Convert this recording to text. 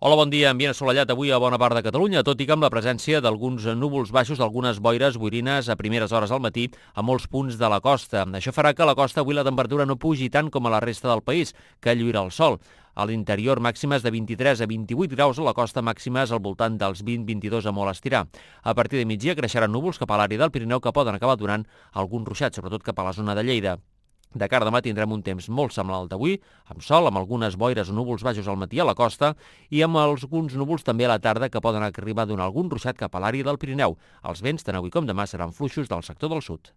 Hola, bon dia. Ambient assolellat avui a bona part de Catalunya, tot i que amb la presència d'alguns núvols baixos, d'algunes boires boirines a primeres hores al matí a molts punts de la costa. Això farà que a la costa avui la temperatura no pugi tant com a la resta del país, que lluirà el sol. A l'interior màximes de 23 a 28 graus, a la costa màximes al voltant dels 20-22 a molt estirar. A partir de migdia creixeran núvols cap a l'àrea del Pirineu que poden acabar donant algun ruixat, sobretot cap a la zona de Lleida. De cara a demà tindrem un temps molt semblant al d'avui, amb sol, amb algunes boires o núvols baixos al matí a la costa i amb alguns núvols també a la tarda que poden arribar a donar algun ruixat cap a l'àrea del Pirineu. Els vents, tant avui com demà, seran fluixos del sector del sud.